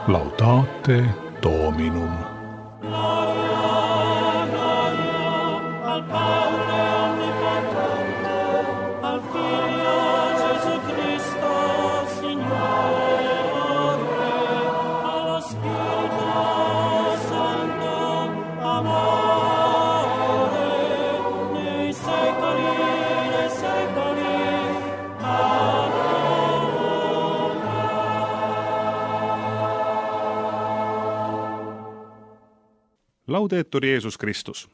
Laudate Dominum. Laudetur Jeesus Kristus.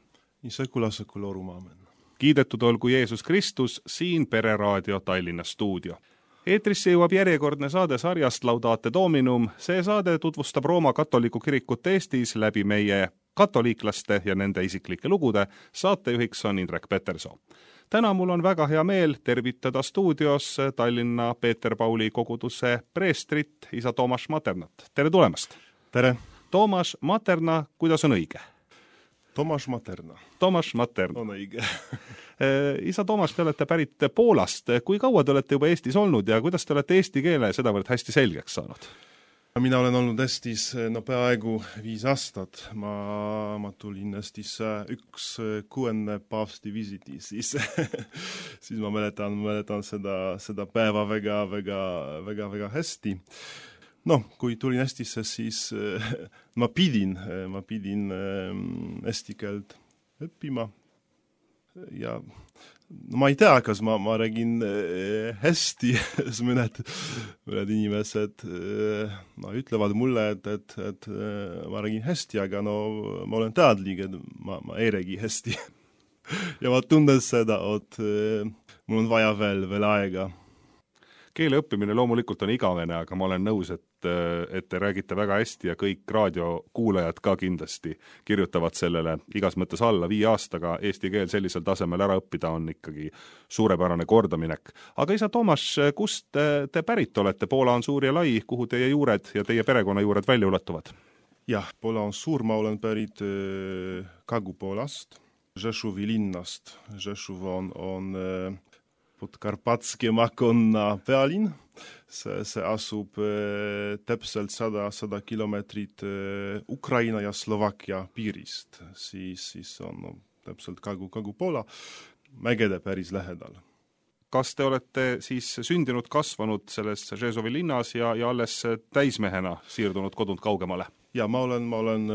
In secula seculorum amen. Kiidetud olgu Jeesus Kristus, siin Pereraadio Tallinna stuudio. Eetrisse jõuab järjekordne saade sarjast Laudate Dominum. See saade tutvustab Rooma katoliku kirikut Eestis läbi meie katoliiklaste ja nende isiklike lugude. Saatejuhiks on Indrek Peterson. Täna mul on väga hea meel tervitada stuudios Tallinna Peeter Pauli koguduse preestrit, isa Toomas Maternat. Tere tulemast! Tere! Toomas Materna, kuidas on õige? Toomas Materna. Toomas Materna. On õige. Isa Toomas, te olete pärit Poolast. Kui kaua te olete juba Eestis olnud ja kuidas te olete eesti keele sedavõrd hästi selgeks saanud? Mina olen olnud Eestis peaaegu 5 aastat. Ma tulin Eestisse 1/6 paavsti visiti, siis ma mäletan seda päeva väga hästi. Kui tulin Eestisse, siis ma pidin eesti keelt õppima ja ma ei tea, kas ma räägin hästi, mõned inimesed ütlevad mulle, et ma räägin hästi, aga ma olen teadlik, et ma ei räägi hästi. Ja ma tunnen seda, et mul on vaja veel aega. Keele õppimine loomulikult on igavene, aga ma olen nõus, et te räägite väga hästi ja kõik raadiokuulajad ka kindlasti kirjutavad sellele igas mõttes alla. 5 aastaga eesti keel sellisel tasemel ära õppida on ikkagi suurepärane kordaminek. Aga isa Toomas, kust te pärit olete? Poola on suur ja lai, kuhu teie juured ja teie perekonna juured välja ulatuvad? Jah, Poola on suur, ma olen pärit Kagu-Poolast, Rzeszowi linnast. Rzeszów on Podkarpackie Makonna pealinn. See asub täpselt 100 kilomeetrit Ukraina ja Slovakkia piirist. Siis on täpselt Kagu-Poola mägede päris lähedal. Kas te olete siis sündinud, kasvanud selles Rzeszowi linnas ja alles täismehena siirdunud kodunt kaugemale? Ja ma olen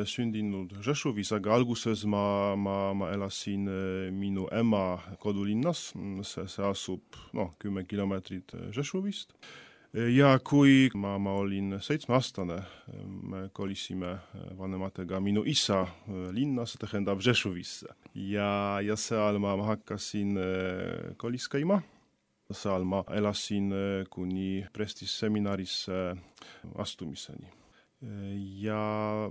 sündinud Rzeszowis, aga alguses ma elasin minu ema kodulinnas. See asub 10 kilomeetrit Rzeszowist. Ja kui ma olin 7-aastane, me kolisime vanematega minu isa linnas, tähendab Rzeszowisse. Ja seal ma hakkasin kolis käima. Seal ma elasin kuni prestiseminarisse astumiseni. Ja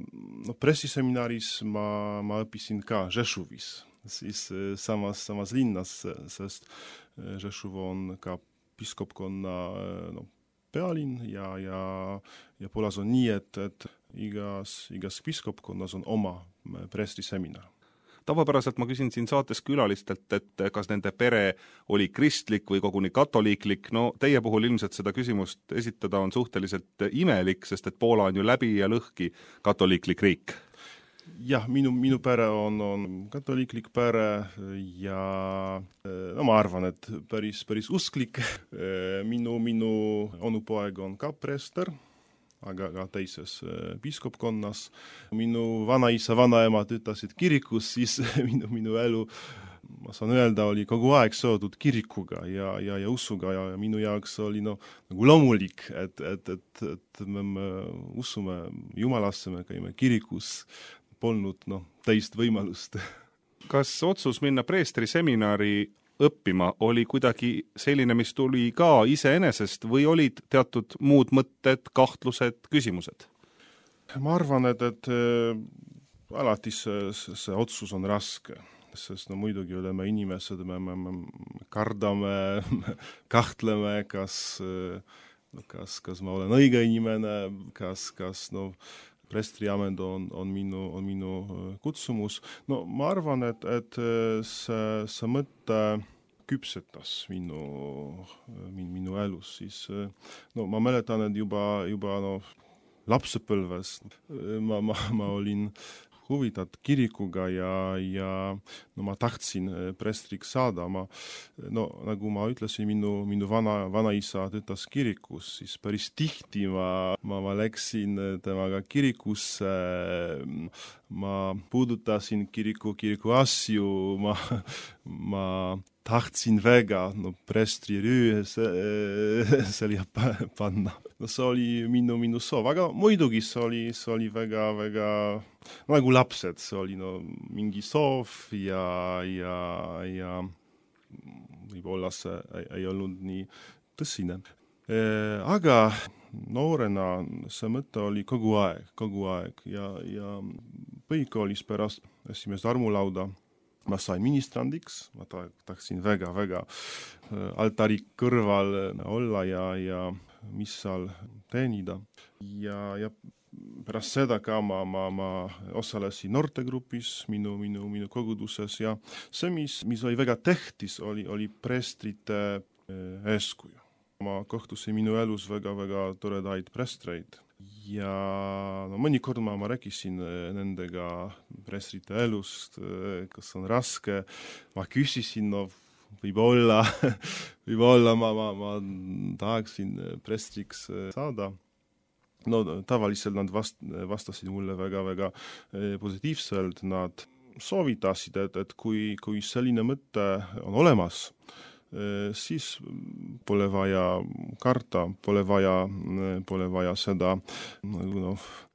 pressiseminaris ma õppisin ka Rzeszowis, siis samas linnas, sest Rzeszów on ka piskopkonna pealinn ja Poolas on nii, et igas piskopkonnas on oma prestiseminar. Tavapäraselt ma küsin siin saates külalistelt, et kas nende pere oli kristlik või koguni katoliiklik. Teie puhul ilmselt seda küsimust esitada on suhteliselt imelik, sest et Poola on ju läbi ja lõhki katoliiklik riik. Jah, minu pere on katoliiklik pere ja ma arvan, et päris usklik. Minu onupoeg on ka preester, aga teises piskopkonnas. Minu vanaisa, vanaema töötasid kirikus, siis minu elu, ma saan öelda, oli kogu aeg seotud kirikuga ja usuga ja minu jaoks oli nagu loomulik, et me usume Jumalasse, me käime kirikus, polnud teist võimalust. Kas otsus minna preestri seminari õppima oli kuidagi selline, mis tuli ka iseenesest või olid teatud muud mõtted, kahtlused, küsimused? Ma arvan, et alati see otsus on raske, sest muidugi oleme inimesed, me kardame, kahtleme, kas ma olen õige inimene, kas preestriamet on minu kutsumus. Ma arvan, et see mõte küpsetas minu elus, siis ma mäletan, et juba lapsepõlves. Ma olin huvitatud kirikuga ja no ma tahtsin prestriks saada. Nagu ma ütlesin, minu vanaisa töötas kirikus, siis päris tihti ma läksin temaga kirikusse, ma puudutasin kiriku asju, ma tahtsin väga prestri rüü selja panna. See oli minu soov, aga muidugi see oli väga nagu lapsed, see oli mingi soov ja võib-olla see ei olnud nii tõsine. Aga noorena see mõte oli kogu aeg ja põhikoolis pärast esimest armulauda ma sain ministrandiks, ma tahtsin väga altari kõrval olla ja missal teenida. Ja pärast seda ka ma osalesin noortegrupis minu koguduses ja see, mis oli väga tähtis, oli prestrite eeskuju. Ma kohtusin minu elus väga toredaid prestreid ja mõnikord ma rääkisin nendega prestrite elust, kas on raske, ma küsisin, võib-olla ma tahaksin prestriks saada. Tavaliselt nad vastasid mulle väga positiivselt, nad soovitasid, et kui selline mõte on olemas, siis pole vaja karta, pole vaja seda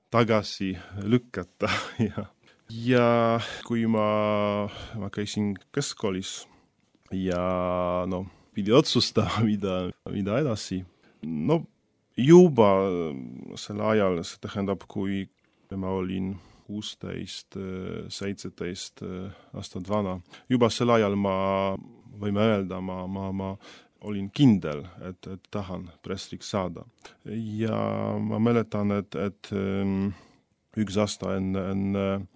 tagasi lükata. Ja kui ma käisin keskkoolis ja pidi otsustama, mida edasi. Juba sel ajal, see tähendab, kui ma olin 16-17 aastat vana, juba sel ajal võime öelda, ma olin kindel, et tahan prestriks saada. Ja ma mäletan, et üks aasta enne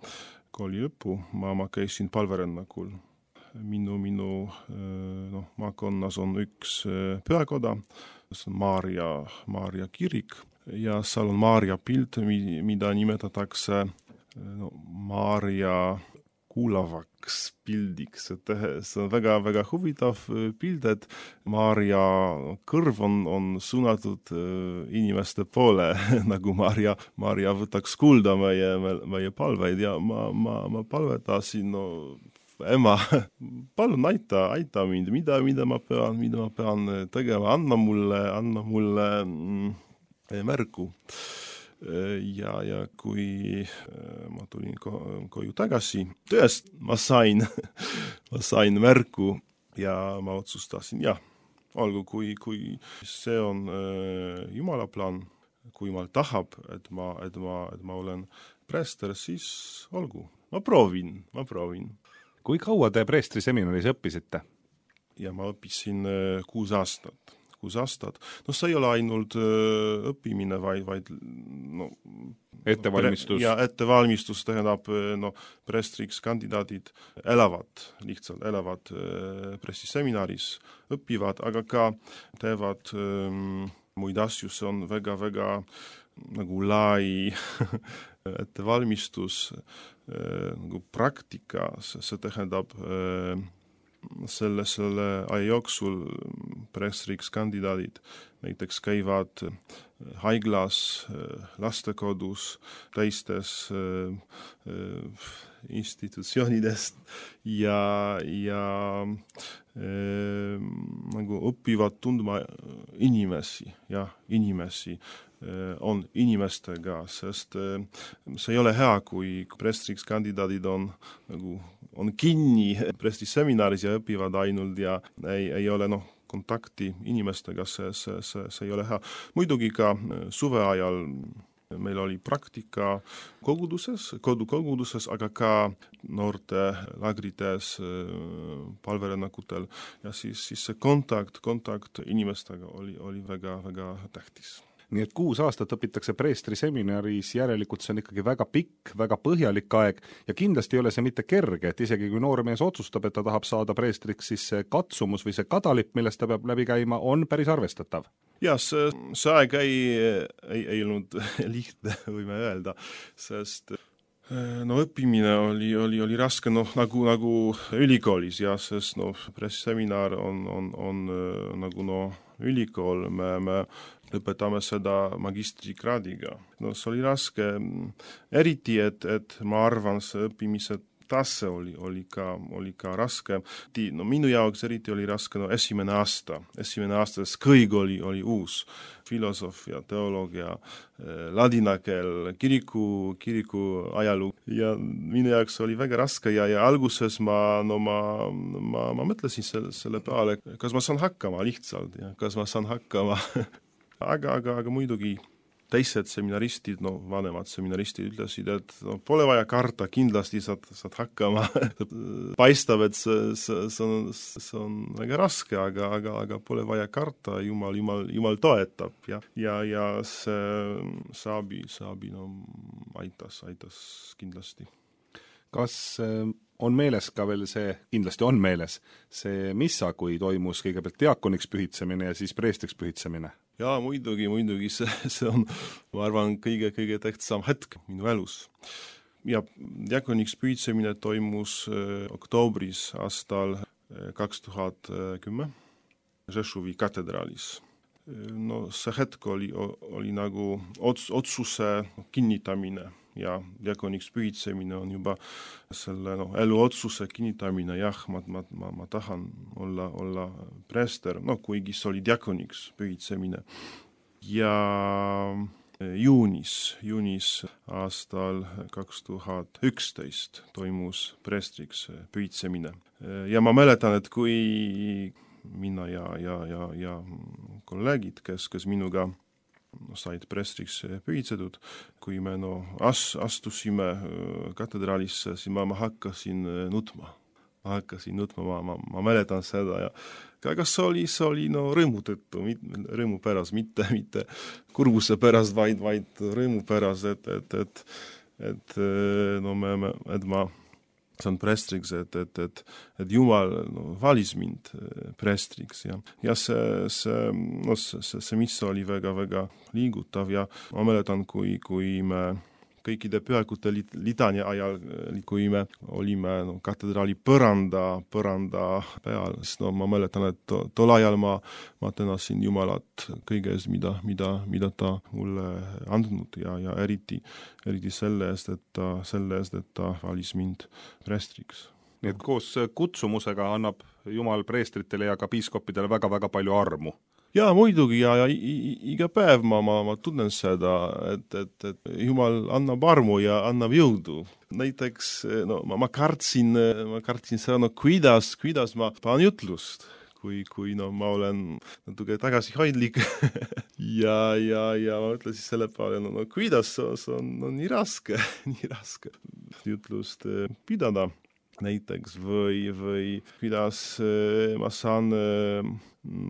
kooli lõppu ma käisin palverännakul. Minu maakonnas on üks pühakoda, see on Maarja kirik ja seal on Maarja pilt, mida nimetatakse Maarja kuulavaks pildiks. See on väga huvitav pild, et Maarja kõrv on suunatud inimeste poole, nagu Maarja võtaks kuulda meie palveid ja ma palvetasin, ema, palun aita mind, mida ma pean tegema, anna mulle märku. Ja kui ma tulin koju tagasi, tõest ma sain märku ja ma otsustasin, olgu, kui see on Jumala plaan, kui ma tahab, et ma olen preester, siis olgu, ma proovin. Kui kaua te preestri seminaris õppisite? Ja ma õppisin 6 aastat. See ei ole ainult õppimine, vaid ettevalmistus. Ja ettevalmistus tähendab, prestriks kandidaadid elavad prestiseminaris, õpivad, aga ka teevad muid asju, see on väga nagu lai ettevalmistus, nagu praktika, see tähendab selle aja jooksul prestriks kandidaadid näiteks käivad haiglas, lastekodus, teistes institutsioonidest ja nagu õpivad tundma inimesi on inimestega, sest see ei ole hea, kui prestriks kandidaadid on kinni prestiseminaris ja õpivad ainult ja ei ole kontakti inimestega, see ei ole hea. Muidugi ka suve ajal meil oli praktika koguduses, aga ka noorte lagrites, palverännakutel ja siis see kontakt inimestega oli väga tähtis. Nii et 6 aastat õpitakse preestri seminaris, järelikult see on ikkagi väga pikk, väga põhjalik aeg ja kindlasti ei ole see mitte kerge, et isegi kui noormees otsustab, et ta tahab saada preestriks, siis see katsumus või see kadalipp, millest ta peab läbi käima, on päris arvestatav. Ja see aeg ei olnud lihtne, võime öelda, sest õppimine oli raske, nagu ülikoolis, ja sest pressiseminar on nagu ülikool, me lõpetame seda magistrikraadiga. See oli raske, eriti, et ma arvan, see õppimise tase oli ka raske. Minu jaoks eriti oli raske esimene aasta, sest kõik oli uus. Filosoofia, teoloogia, ladina keel, kiriku ajalugu. Ja minu jaoks oli väga raske ja alguses ma mõtlesin selle peale, kas ma saan hakkama lihtsalt, ja kas ma saan hakkama. aga muidugi teised seminaristid, vanemad seminaristid ütlesid, et pole vaja karta, kindlasti saad hakkama. Paistab, et see on väga raske, aga pole vaja karta, Jumal toetab. Ja see saabi aitas kindlasti. Kas on meeles ka veel kindlasti on meeles see missa, kui toimus kõigepealt diakoniks pühitsemine ja siis preestriks pühitsemine? Jaa, muidugi, see on, ma arvan, kõige tähtsam hetk minu elus. Ja diakoniks pühitsemine toimus oktoobris aastal 2010 Rzeszowi katedraalis. See hetk oli nagu otsuse kinnitamine ja diakoniks pühitsemine on juba selle elu otsuse kinnitamine, jah, ma tahan olla preester, kuigi see oli diakoniks pühitsemine. Ja juunis aastal 2011 toimus preestriks pühitsemine. Ja ma mäletan, et kui mina ja kolleegid, kes minuga said preestriks pühitsetud, kui me astusime katedraalisse, siis ma hakkasin nutma. Ma mäletan seda ja aga see oli rõõmu tõttu, rõõmu pärast, mitte kurbuse pärast, vaid rõõmu pärast, et ma saan preestriks, et Jumal valis mind preestriks ja see mis oli väga liigutav ja ma mäletan, kui me kõikide pühakute litania ajal, kui me olime katedraali põranda peal, siis ma mäletan, et tol ajal ma tänasin Jumalat kõiges, mida ta mulle andnud ja eriti selle eest, et ta valis mind preestriks. Nii et koos kutsumusega annab Jumal preestritele ja ka piiskopidele väga palju armu. Jaa, muidugi ja iga päev ma tunnen seda, et Jumal annab armu ja annab jõudu. Näiteks ma kartsin seda, kuidas ma panen jutlust, kui ma olen natuke tagasihoidlik ja ma ütlesin selle peale, kuidas see on nii raske jutlust pidada. Näiteks või kuidas ma saan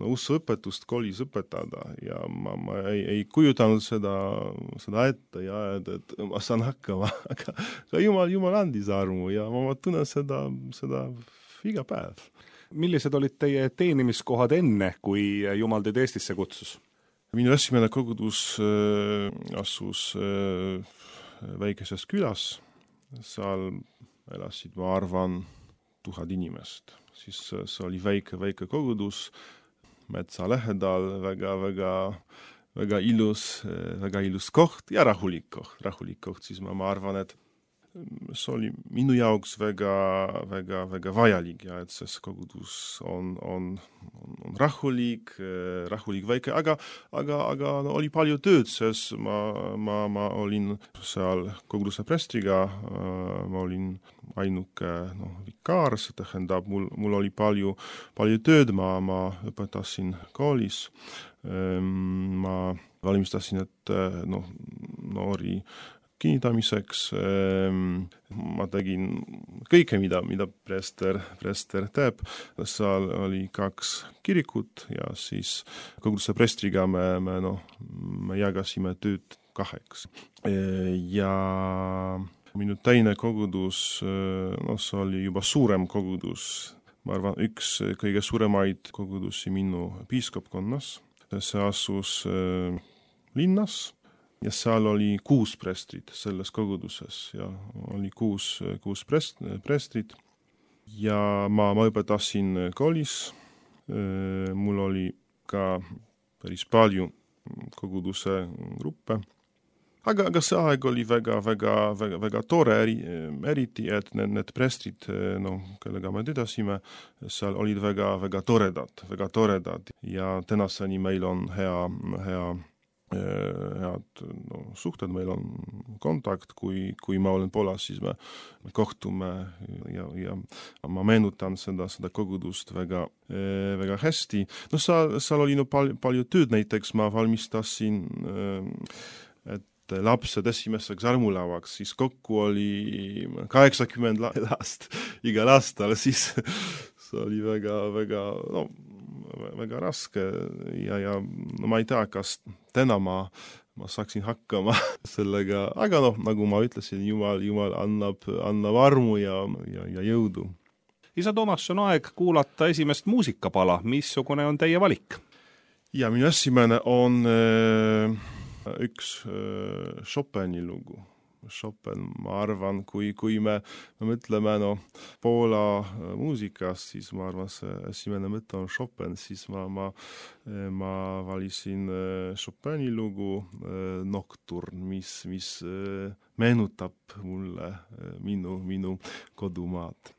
usuõpetust koolis õpetada ja ma ei kujutanud seda ette ja et ma saan hakkama, aga Jumal andis armu ja ma tunnen seda iga päev. Millised olid teie teenimiskohad enne, kui Jumal teid Eestisse kutsus? Minu esimene kogudus asus väikeses külas, seal elasid, ma arvan, 1000 inimest. Siis see oli väike kogudus, metsa lähedal, väga ilus koht ja rahulik koht. Siis ma arvan, et see oli minu jaoks väga vajalik ja et see kogudus on rahulik väike, aga oli palju tööd, sest ma olin seal koguduse preestriga, ma olin ainuke vikaar, see tähendab, mul oli palju tööd, ma õpetasin koolis, ma valmistasin, et noori kinnitamiseks, ma tegin kõike, mida preester teeb. Seal oli 2 kirikut ja siis koguduse preestriga me jagasime tööd 2. Ja minu teine kogudus, see oli juba suurem kogudus, ma arvan, üks kõige suuremaid kogudusi minu piiskopkonnas. see asus linnas ja seal oli 6 prestrit selles koguduses ja oli 6 prestrit ja ma õpetasin koolis. Mul oli ka päris palju koguduse gruppe. Aga see aeg oli väga tore, eriti, et need prestrid, kellega me töötasime, seal olid väga toredad ja tänaseni meil on head suhted, meil on kontakt, kui ma olen Poolas, siis me kohtume ja ma meenutan seda kogudust väga hästi. Seal oli palju tööd, näiteks ma valmistasin lapsed esimeseks armulavaks, siis kokku oli 80 last igal aastal, siis see oli väga raske ja ma ei tea, kas täna ma saaksin hakkama sellega, aga nagu ma ütlesin, Jumal annab armu ja jõudu. Isa Toomas, on aeg kuulata esimest muusikapala, missugune on teie valik? Ja minu esimene on üks Chopini lugu. Chopin, ma arvan, kui me mõtleme Poola muusikast, siis ma arvan, see esimene mõte on Chopin, siis ma valisin Chopini lugu Nocturne, mis meenutab mulle minu kodumaad.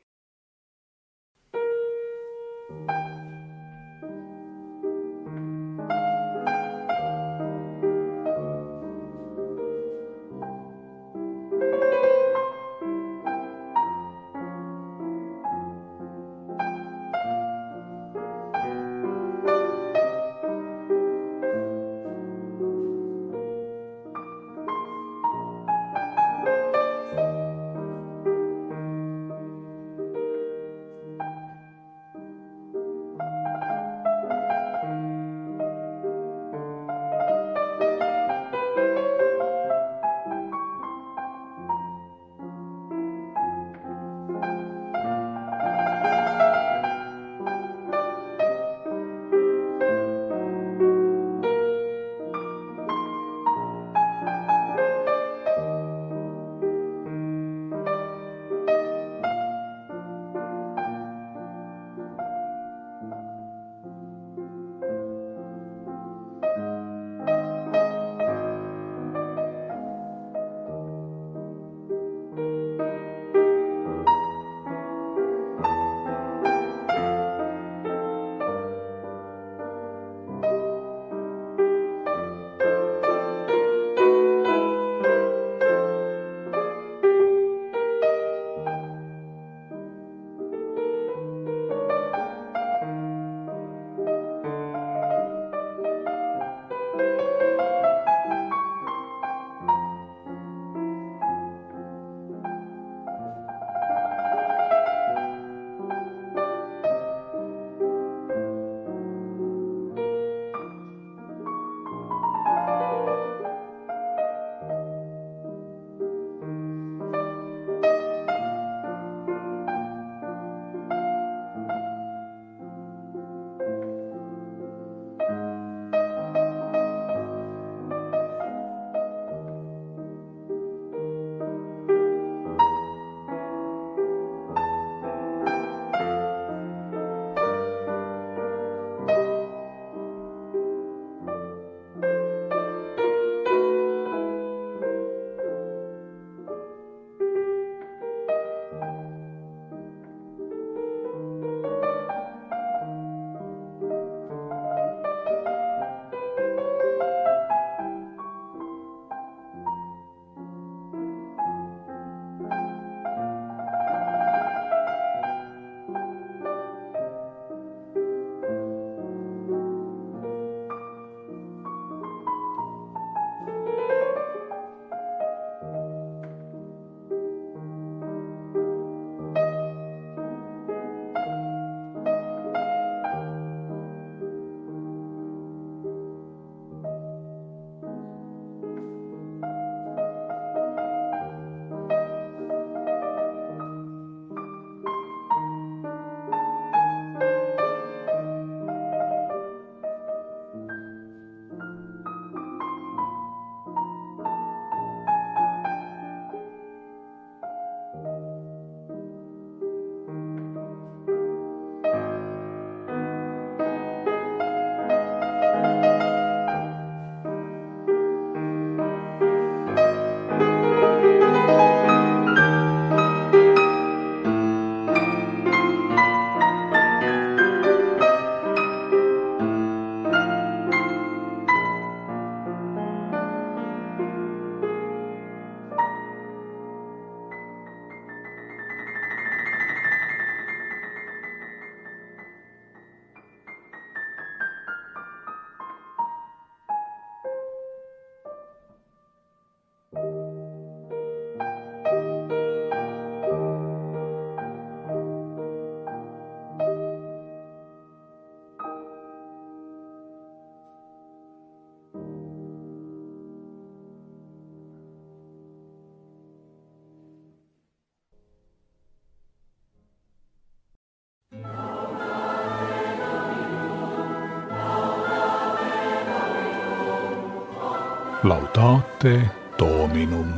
Laudate Dominum.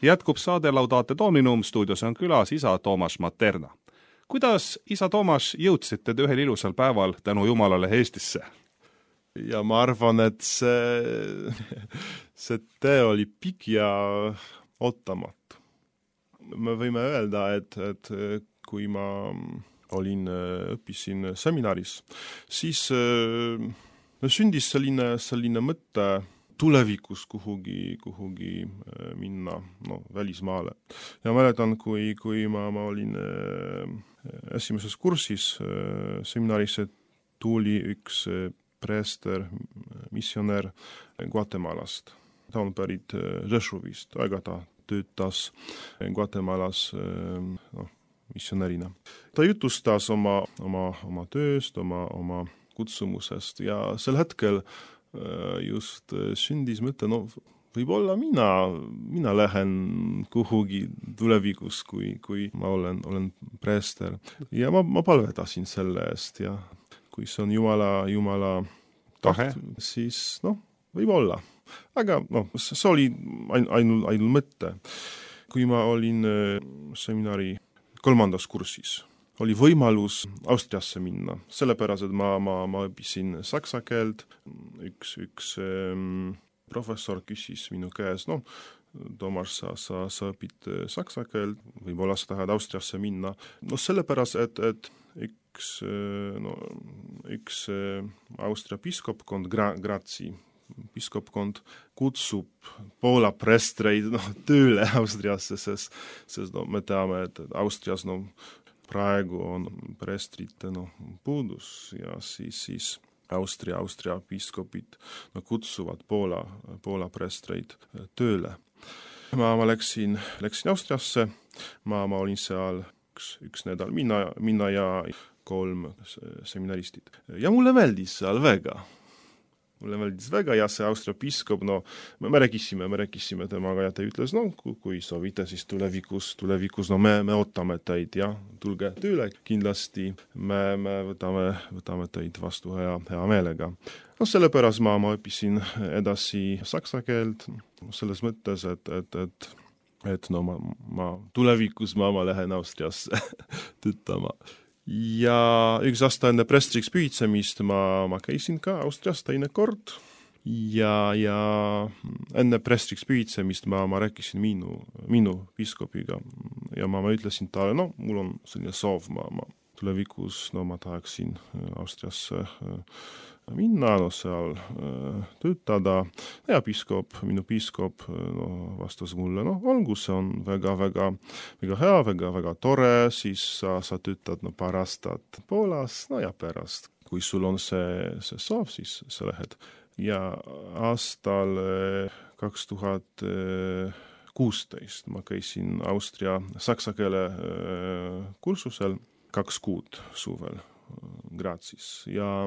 Jätkub saade Laudate Dominum, stuudios on külas isa Toomas Materna. Kuidas, isa Toomas, jõudsite te ühel ilusal päeval tänu Jumalale Eestisse? Ja ma arvan, et see tee oli pikk ja ootamatu. Me võime öelda, et kui ma õppisin seminaris, siis sündis selline mõte tulevikus kuhugi minna, välismaale. Ja mäletan, kui ma olin esimeses kursis seminaris, tuli üks preester, missionär Guatemalast. Ta on pärit Rzeszówist, aga ta töötas Guatemalas missionärina. Ta jutustas oma tööst, oma kutsumusest ja sel hetkel just sündis mõte, võib-olla mina lähen kuhugi tulevikus, kui ma olen preester. Ja ma palvetasin selle eest ja kui see on Jumala taht, siis võib-olla. Aga see oli ainult mõte. Kui ma olin seminari 3. kursis, oli võimalus Austriasse minna, sellepärast, et ma õppisin saksa keelt. Üks professor küsis minu käes, Toomas, sa õpid saksa keelt, võib-olla sa tahad Austriasse minna. Sellepärast, et üks Austria piskopkond, Grazi piskopkond kutsub Poola prestreid tööle Austriasse, sest me teame, et Austrias praegu on prestrite puudus ja siis Austria piskopid kutsuvad Poola prestreid tööle. Ma läksin Austriasse, ma olin seal üks nädal, mina ja 3 seminaristid. Ja mulle meeldis seal väga. Ja see Austria piskop, me rääkisime temaga ja ta ütles, kui soovite, siis tulevikus, me ootame teid ja tulge tööle kindlasti, me võtame teid vastu hea meelega. Sellepärast ma õppisin edasi saksa keelt, selles mõttes, et tulevikus ma lähen Austriasse töötama. Ja üks aasta enne prestriks püüdsemist ma käisin ka Austrias teine kord ja enne prestriks püüdsemist ma rääkisin minu piskopiga ja ma ütlesin talle, mul on selline soov, ma tulevikus ma tahaksin Austriasse minna, seal töötada ja minu piskop vastas mulle, olgu, see on väga hea, väga tore, siis sa töötad paar aastat Poolas, ja pärast, kui sul on see soov, siis sa lähed. Ja aastal 2016 ma käisin Austria saksa keele kursusel 2 kuud suvel Grazis ja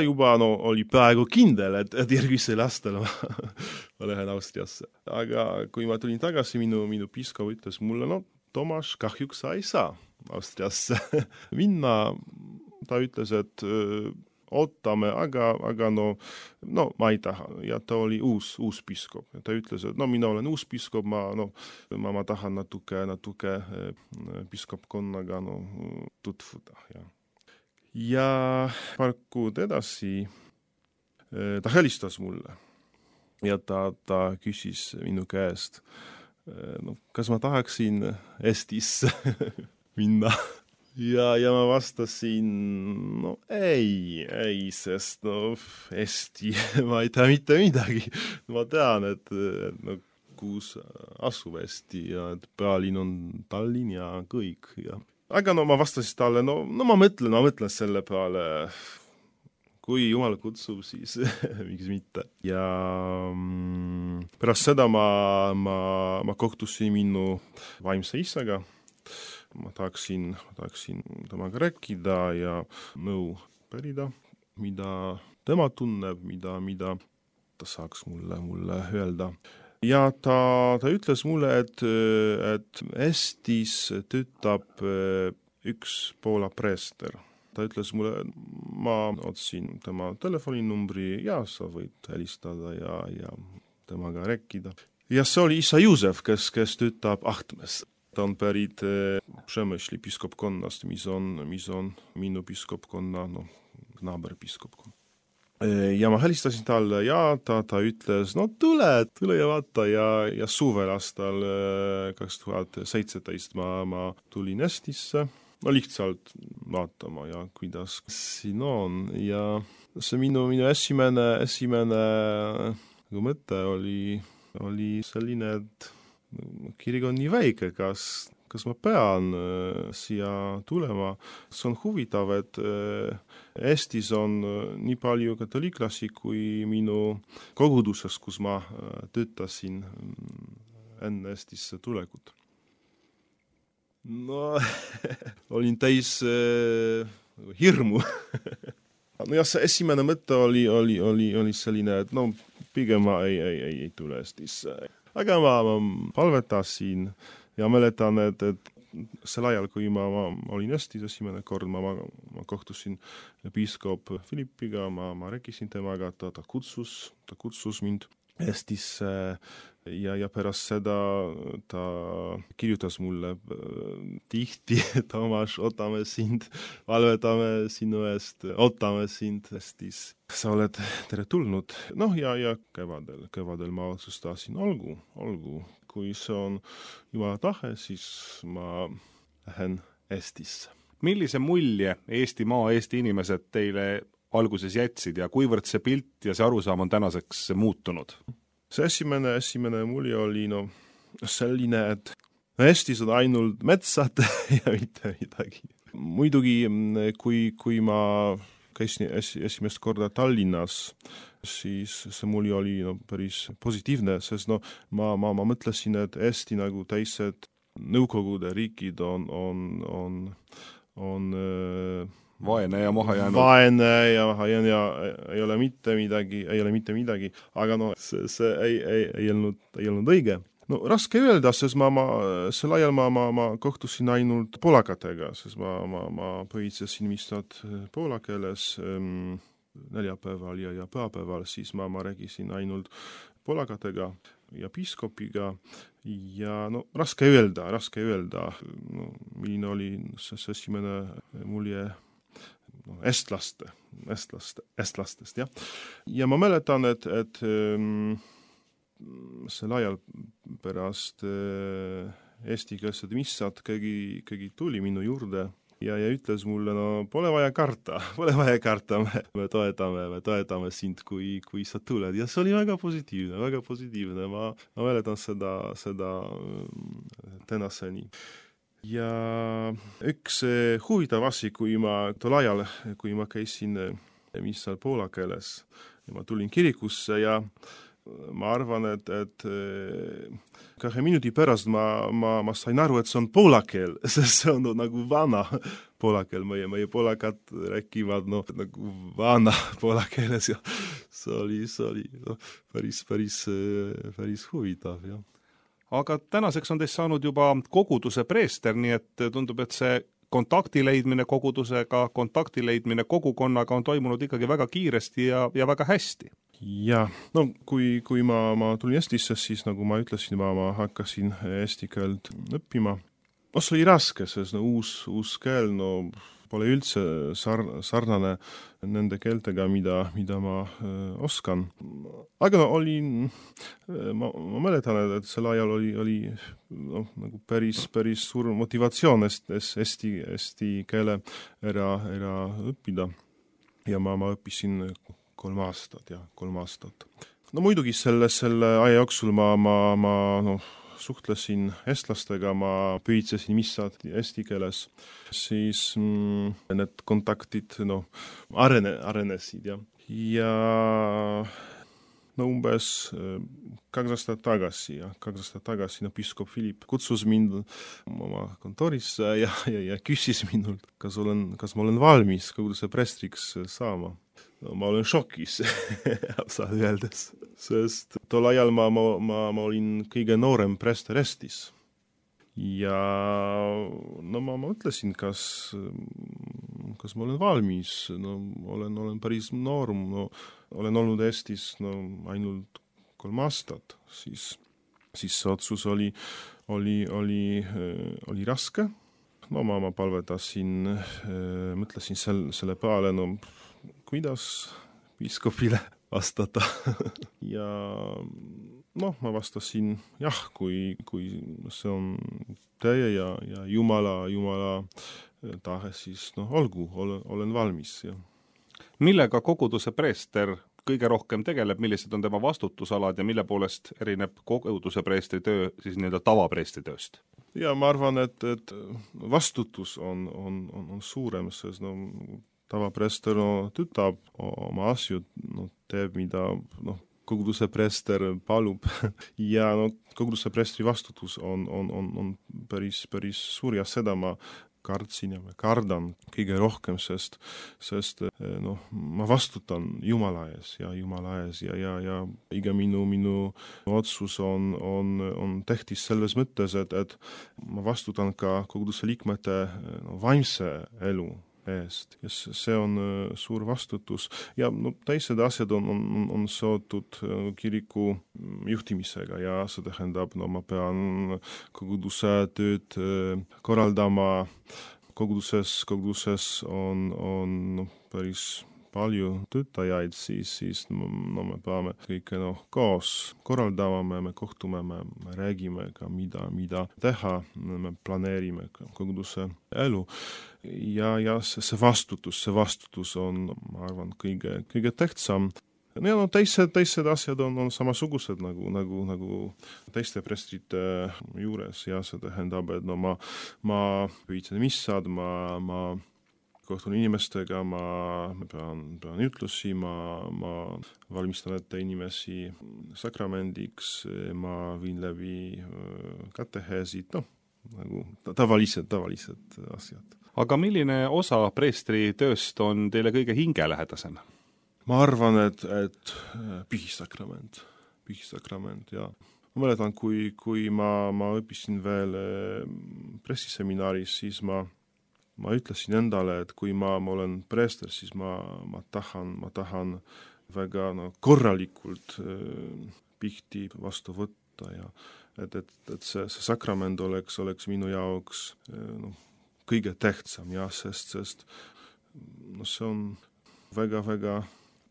juba oli peaaegu kindel, et järgmisel aastal ma lähen Austriasse. Aga kui ma tulin tagasi, minu piskop ütles mulle, Toomas, kahjuks sa ei saa Austriasse minna. Ta ütles, et ootame, aga ma ei taha. Ja ta oli uus piskop. Ta ütles, et mina olen uus piskop, ma tahan natuke piskopkonnaga tutvuda. Ja paar kuud edasi ta helistas mulle ja ta küsis minu käest, kas ma tahaksin Eestisse minna. Ja ma vastasin, ei, sest Eesti ma ei tea mitte midagi. Ma tean, et kus asub Eesti ja et pealinn on Tallinn ja kõik. Aga ma vastasin talle, ma mõtlen selle peale, kui Jumal kutsub, siis miks mitte. Ja pärast seda ma kohtusin minu vaimse isaga. Ma tahaksin temaga rääkida ja nõu pärida, mida tema tunneb, mida ta saaks mulle öelda. Ja ta ütles mulle, et Eestis töötab üks Poola preester. Ta ütles mulle, ma otsin tema telefoninumbri ja sa võid helistada ja temaga rääkida. Ja see oli isa Juusef, kes töötab Ahtmes. Ta on pärit Przemyśli piskopkonnast, mis on minu piskopkonna, naaberpiskopkonna. Ja ma helistasin talle ja ta ütles, tule ja vaata ja suvel aastal 2017 ma tulin Eestisse. Lihtsalt vaatama ja kuidas siin on ja see minu esimene mõte oli selline, et kirik on nii väike, kas ma pean siia tulema. See on huvitav, et Eestis on nii palju katoliiklasi kui minu koguduses, kus ma töötasin enne Eestisse tulekut. Olin täis hirmu. See esimene mõte oli selline, et pigem ma ei tule Eestisse. Aga ma palvetasin ja mäletan, et sel ajal, kui ma olin Eestis esimene kord, ma kohtusin piiskop Philippiga, ma rääkisin temaga, ta kutsus mind Eestisse ja pärast seda ta kirjutas mulle tihti, Tomas, ootame sind, valvetame sinu eest, ootame sind Eestis. Sa oled tere tulnud. Ja kevadel ma otsustasin, olgu. Kui see on Jumala tahe, siis ma lähen Eestisse. Millise mulje Eestimaa, Eesti inimesed teile alguses jätsid ja kuivõrd see pilt ja see arusaam on tänaseks muutunud? See esimene mulje oli selline, et Eestis on ainult metsad ja mitte midagi. Muidugi, kui ma käisin esimest korda Tallinnas, siis see mulje oli päris positiivne, sest ma mõtlesin, et Eesti nagu teised Nõukogude riigid on vaene ja maha jäänud. Vaene ja maha jäänud ja ei ole mitte midagi, aga see ei olnud õige. Raske öelda, sest sel ajal ma kohtusin ainult poolakatega, sest ma põhitsesin missad poola keeles neljapäeval ja pühapäeval, siis ma rääkisin ainult poolakatega ja piiskopiga ja raske öelda, milline oli see esimene mulje estlastest, jah. Ja ma mäletan, et sel ajal pärast eestikeelsed missad keegi tuli minu juurde ja ütles mulle, pole vaja karta, me toetame sind, kui sa tuled. Ja see oli väga positiivne, ma mäletan seda tänaseni. Ja üks huvitav asi, kui ma käisin missal poola keeles ja ma tulin kirikusse ja ma arvan, et 2 minuti pärast ma sain aru, et see on poola keel, sest see on nagu vana poola keel, meie poolakad rääkivad nagu vana poola keeles ja see oli päris huvitav, jah. Aga tänaseks on teist saanud juba koguduse preester, nii et tundub, et see kontakti leidmine kogudusega, kontakti leidmine kogukonnaga on toimunud ikkagi väga kiiresti ja väga hästi. Ja, kui ma tulin Eestisse, siis nagu ma ütlesin, ma hakkasin eesti keelt õppima. See oli raske, sest uus keel pole üldse sarnane nende keeltega, mida ma oskan. Aga ma mäletan, et sel ajal oli nagu päris suur motivatsioon eesti keele ära õppida. Ja ma õppisin 3 aastat. Muidugi selle aja jooksul ma suhtlesin eestlastega, ma püüdsesin missad eesti keeles, siis need kontaktid arenesid, ja umbes 2 aastat tagasi piiskop Philipp kutsus mind oma kontorisse ja küsis minult, kas ma olen valmis koguduse preestriks saama. Ma olen šokis, saad öeldes, sest tol ajal ma olin kõige noorem preester Eestis. ja no ma mõtlesin, kas ma olen valmis, no olen päris noor, no olen olnud Eestis ainult 3 aastat, siis see otsus oli raske. No ma palvetasin, mõtlesin selle peale, no kuidas piiskopile vastata ja ma vastasin jah, kui see on teie ja Jumala tahe, siis olgu, olen valmis. Ja. Millega koguduse preester kõige rohkem tegeleb, millised on tema vastutusalad ja mille poolest erineb koguduse preestri töö siis nii-öelda tavapreestri tööst? Ja ma arvan, et vastutus on suurem, sest tavapreester tütab oma asju, teeb, mida koguduse preester palub ja koguduse preestri vastutus on päris suur ja seda ma kartsin ja ma kardan kõige rohkem, sest ma vastutan Jumala ees ja iga minu otsus on tähtis selles mõttes, et ma vastutan ka koguduse liikmete vaimse elu eest. Ja see on suur vastutus ja teised asjad on seotud kiriku juhtimisega ja see tähendab, ma pean koguduse tööd korraldama. Koguduses on päris palju töötajaid, siis me peame kõike koos korraldama, me kohtume, me räägime ka mida teha, me planeerime koguduse elu. Ja see vastutus on, ma arvan, kõige tähtsam. Ja teised asjad on samasugused nagu teiste prestrite juures ja see tähendab, et ma püütan missad, ma kohtun inimestega, ma pean ütlusi, ma valmistan ette inimesi sakramendiks, ma viin läbi kateheesid, nagu tavalised asjad. Aga milline osa preestri tööst on teile kõige hingelähedasem? Ma arvan, et pihisakrament ja ma mäletan, kui ma õppisin veel pressiseminaaris, siis ma ütlesin endale, et kui ma olen preester, siis ma tahan väga korralikult pihti vastu võtta ja et see sakrament oleks minu jaoks kõige tähtsam ja sest see on väga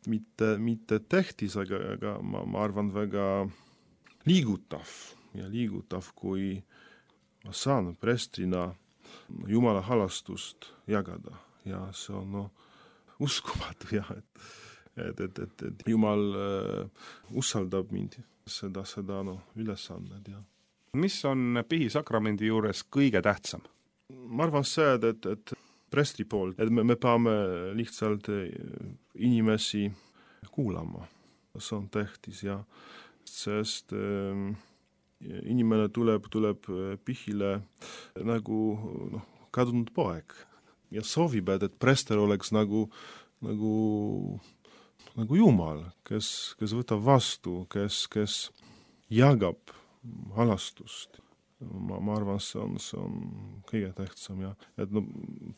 mitte tähtis, aga ma arvan väga liigutav, kui ma saan preestrina Jumala halastust jagada ja see on uskumatu ja et Jumal usaldab mind seda ülesannet. Ja. Mis on pihisakramendi juures kõige tähtsam? Ma arvan see, et preestri poolt, et me peame lihtsalt inimesi kuulama. See on tähtis ja sest inimene tuleb pihile nagu kadunud poeg ja soovib, et preester oleks nagu Jumal, kes võtab vastu, kes jagab halastust. Ma arvan, see on kõige tähtsam ja et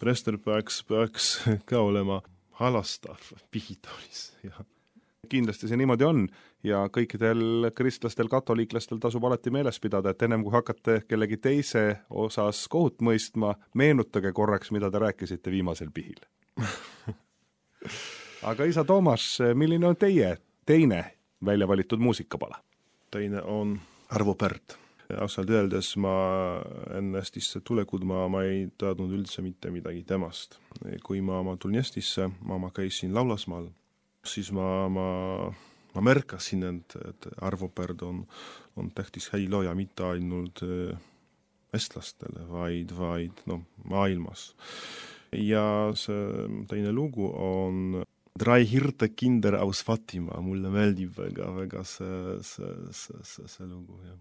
preester peaks ka olema halastav pihitoolis. Kindlasti see niimoodi on ja kõikidel kristlastel, katoliiklastel tasub alati meeles pidada, et ennem kui hakkate kellegi teise osas kohut mõistma, meenutage korraks, mida te rääkisite viimasel pihil. Aga isa Toomas, milline on teie teine välja valitud muusikapala? Teine on Arvo Pärt. Ausalt öeldes ma enne Eestisse tulekut ma ei teadnud üldse mitte midagi temast. Kui ma tulin Eestisse, ma käisin laulasmaal, siis ma märkasin, et Arvo Pärt on tähtis helilooja mitte ainult eestlastele, vaid maailmas. Ja see teine lugu on Drei Hirte Kinder aus Fatima. Mulle meeldib väga see lugu, jah.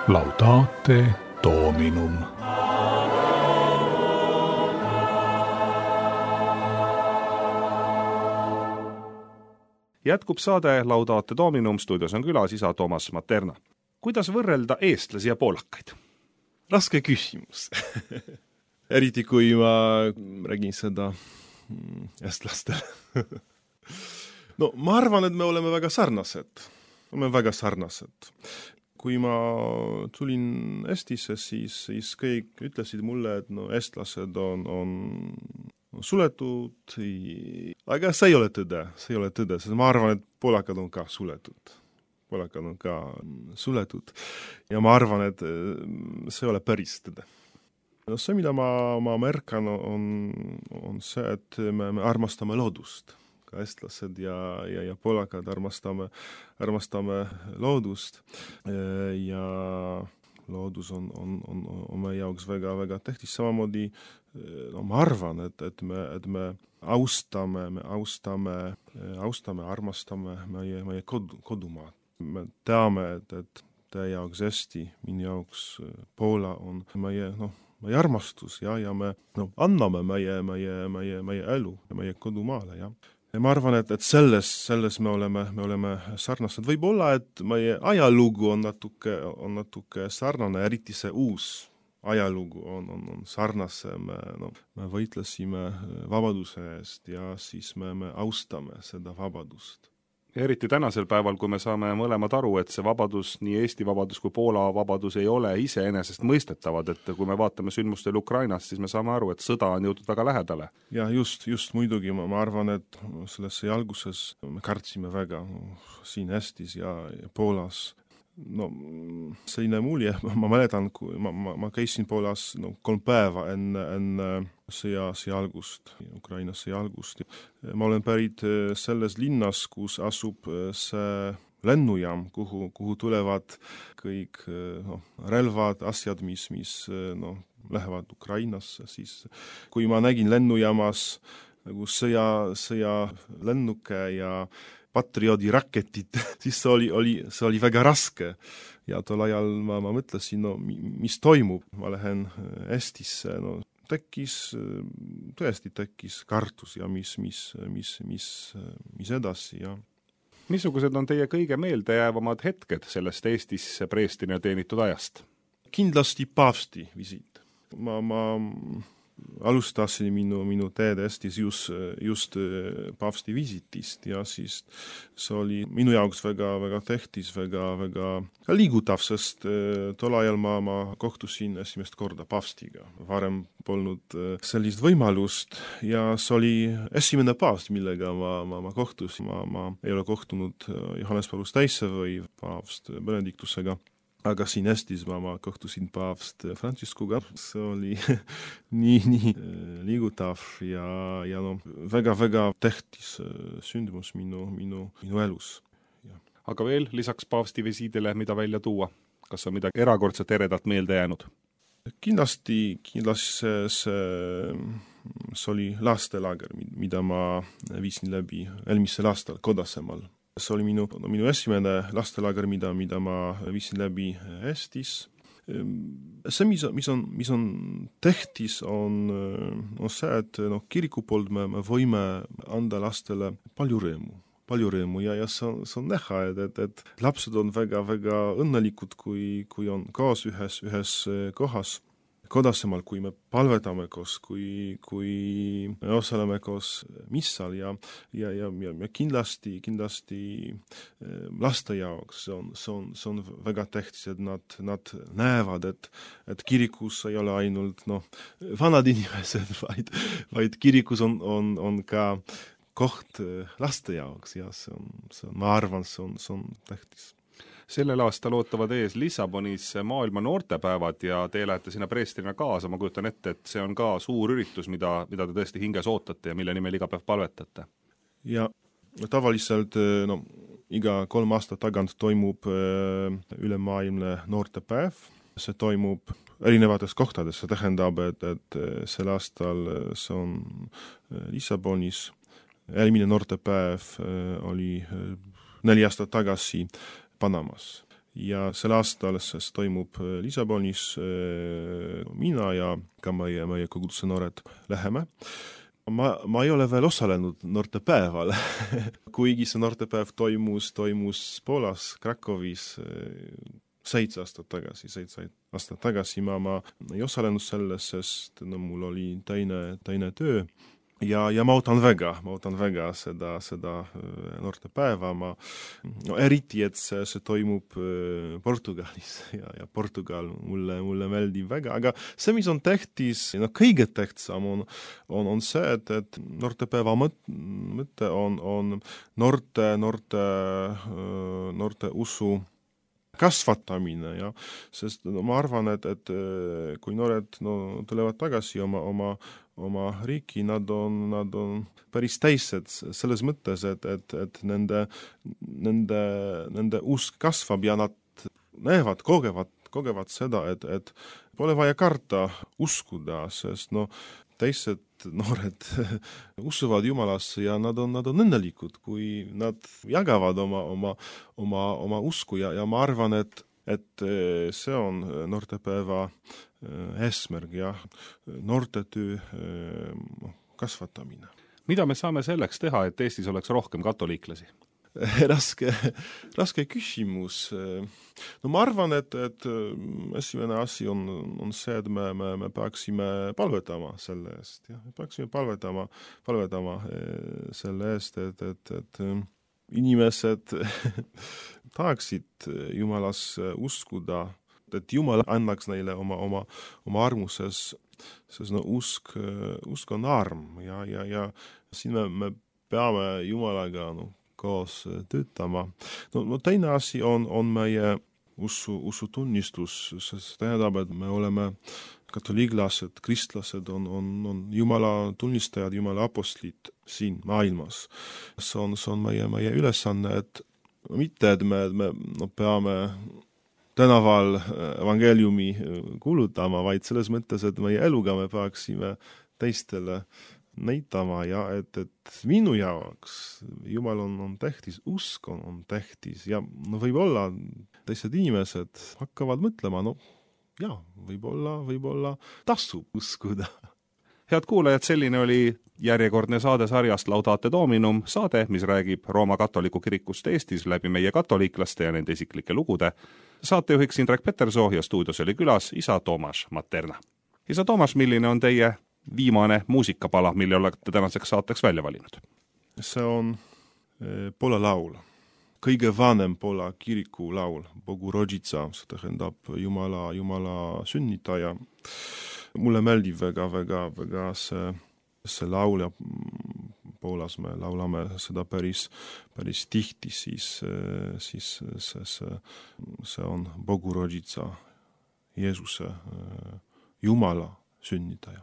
Laudate Dominum. Jätkub saade Laudate Dominum, stuudios on külas isa Toomas Materna. Kuidas võrrelda eestlasi ja poolakaid? Raske küsimus. Eriti kui ma räägin seda eestlastele. No ma arvan, et me oleme väga sarnased. Kui ma tulin Eestisse, siis kõik ütlesid mulle, et no eestlased on suletud, aga see ei ole tõde, sest ma arvan, et poolakad on ka suletud. Ja ma arvan, et see ei ole päris tõde. No see, mida ma märkan, on see, et me armastame loodust. Ka eestlased ja poolakad armastame loodust ja loodus on meie jaoks väga tähtis. Samamoodi ma arvan, et me armastame meie kodumaad. Me teame, et teie jaoks Eesti, minu jaoks Poola on meie armastus ja me anname meie elu ja meie kodumaale, ja. Ja ma arvan, et selles me oleme sarnased. Võib-olla, et meie ajalugu on natuke sarnane, eriti see uus ajalugu on sarnasem. Me võitlesime vabaduse eest ja siis me austame seda vabadust. Eriti tänasel päeval, kui me saame mõlemad aru, et see vabadus, nii Eesti vabadus kui Poola vabadus ei ole iseenesest mõistetavad, et kui me vaatame sündmustel Ukrainas, siis me saame aru, et sõda on jõudnud väga lähedale. Ja just muidugi, ma arvan, et sellesse alguses me kartsime väga siin Eestis ja Poolas. No selline mulje, ma mäletan, kui ma käisin Poolas 3 päeva enne sõja algust, Ukrainas sõja algust. Ma olen pärit selles linnas, kus asub see lennujaam, kuhu tulevad kõik relvad, asjad, mis lähevad Ukrainasse. Siis, kui ma nägin lennujaamas sõja lennuke ja Patrioti raketid, siis see oli väga raske. Ja tol ajal ma mõtlesin, mis toimub. Ma lähen Eestisse, tõesti tekkis kartus ja mis edasi. Ja. Missugused on teie kõige meeldejäävamad hetked sellest Eestisse preestina teenitud ajast? Kindlasti paavsti visiit. Ma alustasin minu teed Eestis just paavsti visiitist ja siis see oli minu jaoks väga tähtis, väga liigutav, sest tol ajal ma kohtusin esimest korda paavstiga. Varem polnud sellist võimalust ja see oli esimene paavst, millega ma kohtusin. Ma ei ole kohtunud Johannes Paulus II või paavst Benediktusega. Aga siin Eestis ma kohtusin paavst Franciscuga. See oli nii liigutav ja väga tähtis sündimus minu elus. Ja. Aga veel lisaks paavsti visiidile, mida välja tuua? Kas on midagi erakordselt eredat meelde jäänud? Kindlasti see oli lastelager, mida ma viisin läbi eelmisel aastal Kodasemaal. See oli minu esimene lastelager, mida ma viisin läbi Eestis. See, mis on tähtis, on see, et kiriku poolt me võime anda lastele palju rõõmu ja see on näha, et lapsed on väga õnnelikud, kui on koos ühes kohas. Kodasemaal, kui me palvetame koos, kui me osaleme koos missal ja kindlasti laste jaoks see on väga tähtis, et nad näevad, et kirikus ei ole ainult vanad inimesed, vaid kirikus on ka koht laste jaoks ja ma arvan, see on tähtis. Sellel aastal ootavad ees Lissabonis maailma noortepäevad ja te lähete sinna preestrina kaasa. Ma kujutan ette, et see on ka suur üritus, mida te tõesti hinges ootate ja mille nimel iga päev palvetate. Ja tavaliselt iga 3 aastat tagant toimub ülemaailmne noortepäev. See toimub erinevates kohtades. See tähendab, et sel aastal see on Lissabonis. Eelmine noortepäev oli 4 aastat tagasi Panamas. ja sel aastal siis toimub Lissabonis mina ja ka meie koguduse noored läheme. Ma ei ole veel osalenud noortepäeval, kuigi see noortepäev toimus Poolas, Krakowis 7 aastat tagasi. Ma ei osalenud selles, sest mul oli teine töö. Ja ma ootan väga seda noortepäeva. Eriti, et see toimub Portugalis ja Portugal mulle meeldib väga. Aga see, mis on tähtis, kõige tähtsam on see, et noortepäeva mõte on noorte usu kasvatamine, ja sest ma arvan, et kui noored tulevad tagasi oma riiki, nad on päris teised selles mõttes, et nende usk kasvab ja nad näevad, kogevad seda, et pole vaja karta uskuda, sest teised noored usuvad Jumalasse ja nad on õnnelikud, kui nad jagavad oma usku ja ma arvan, et see on noortepäeva eesmärk ja noortetöö kasvatamine. Mida me saame selleks teha, et Eestis oleks rohkem katoliiklasi? Raske küsimus. Ma arvan, et esimene asi on see, et me peaksime palvetama selle eest. Ja? Me peaksime palvetama selle eest, et inimesed tahaksid Jumalas uskuda, et Jumal annaks neile oma armuses, sest usk on arm ja siin me peame Jumalaga koos töötama. Teine asi on meie usutunnistus, sest tähendab, et me oleme katoliiklased, kristlased on Jumala tunnistajad, Jumala apostlid siin maailmas. See on meie ülesanne, et mitte, et me peame tänaval evangeeliumi kuulutama, vaid selles mõttes, et meie eluga me peaksime teistele näitama ja et minu jaoks Jumal on tähtis, usk on tähtis ja võib-olla teised inimesed hakkavad mõtlema, võib-olla tasub uskuda. Head kuulajad, selline oli järjekordne saade sarjast Laudate Dominum, saade, mis räägib Rooma katoliku kirikust Eestis läbi meie katoliiklaste ja nende isiklike lugude. Saatejuhiks Indrek Petersoo ja stuudios oli külas isa Toomas Materna. Isa Toomas, milline on teie viimane muusikapala, mille olete tänaseks saateks välja valinud? See on Poola laul. Kõige vanem Poola kiriku laul, Bogu Rodzica, see tähendab Jumala sünnitaja. Mulle meeldib väga see laul ja Poolas me laulame seda päris tihti, siis see on Bogu Rodzica, Jeesuse Jumala sünnitaja.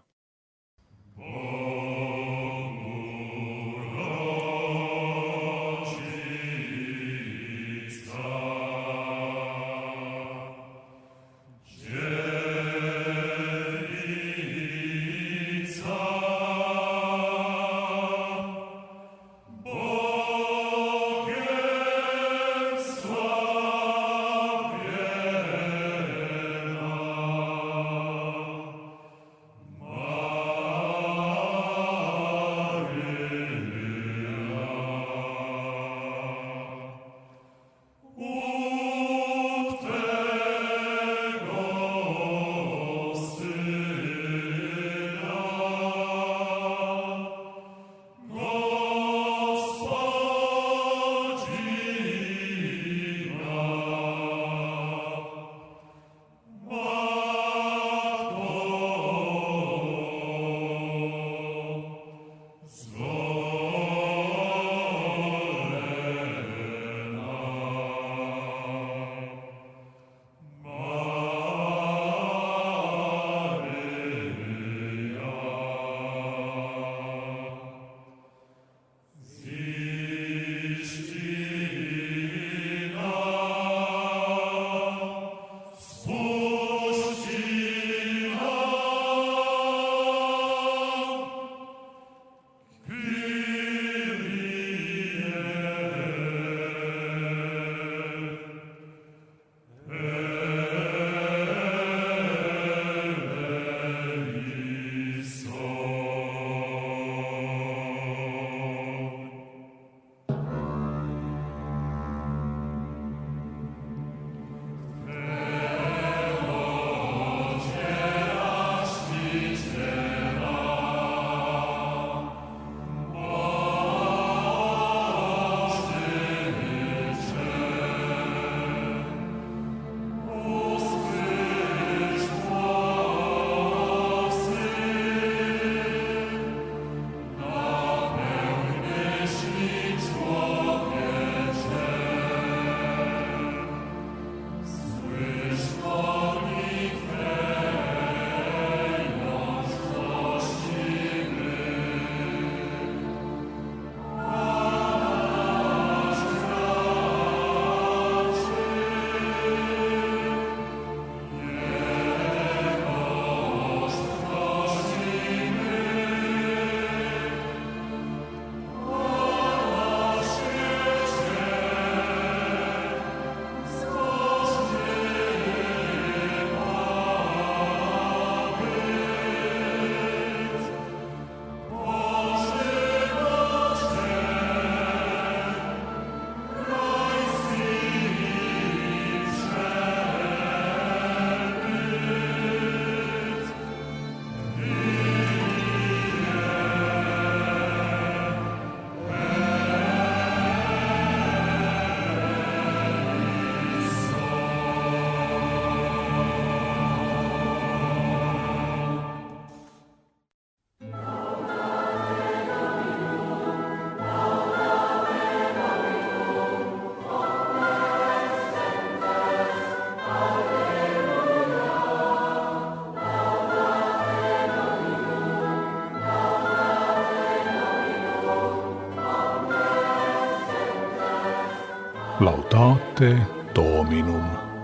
Laudate Dominum.